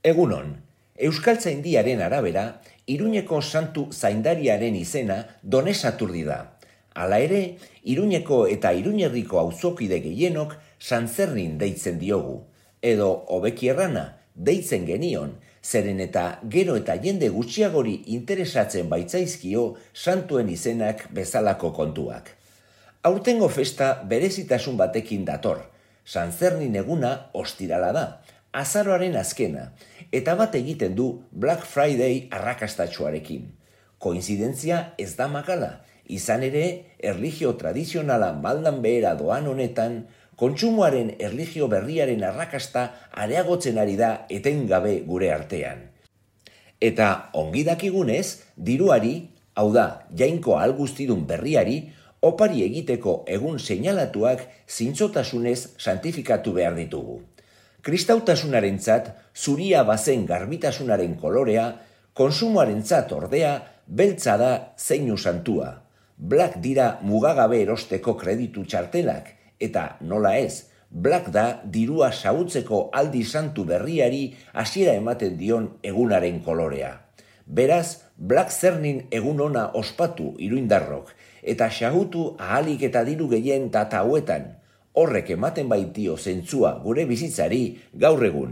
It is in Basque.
Egunon, Euskaltzaindiaren arabera, Iruñeko santu zaindariaren izena Done Saturdi da. Hala ere, Iruñeko eta Iruñerriko auzokide gehienok Santzerrin deitzen diogu. Edo, hobeki errana, deitzen genion, zeren eta gero eta jende gutxiagori interesatzen baitzaizkio santuen izenak bezalako kontuak. Aurtengo festa berezitasun batekin dator. Santzerrin eguna ostirala da, azaroaren azkena, eta bat egiten du Black Friday arrakastatsuarekin. Koinzidentzia ez da makala, izan ere, erlijio tradizionala maldan behera doan honetan, kontsumoaren erlijio berriaren arrakasta areagotzen ari da etengabe gure artean. Eta ongi dakigunez, diruari, hau da, jainko alguztidun berriari, opari egiteko egun seinalatuak zintzotasunez santifikatu behar ditugu. Kristautasunarentzat zuria bazen garbitasunaren kolorea, konsumoarentzat ordea beltza da zeinu santua. Black dira mugagabe erosteko kreditu txartelak, eta nola ez, Black da dirua xahutzeko aldi santu berriari hasiera ematen dion egunaren kolorea. Beraz, Black Zernin egun ona ospatu iruindarrok, eta xahutu ahalik eta diru gehien data hauetan. Horrek ematen baitio zentzua gure bizitzari gaur egun.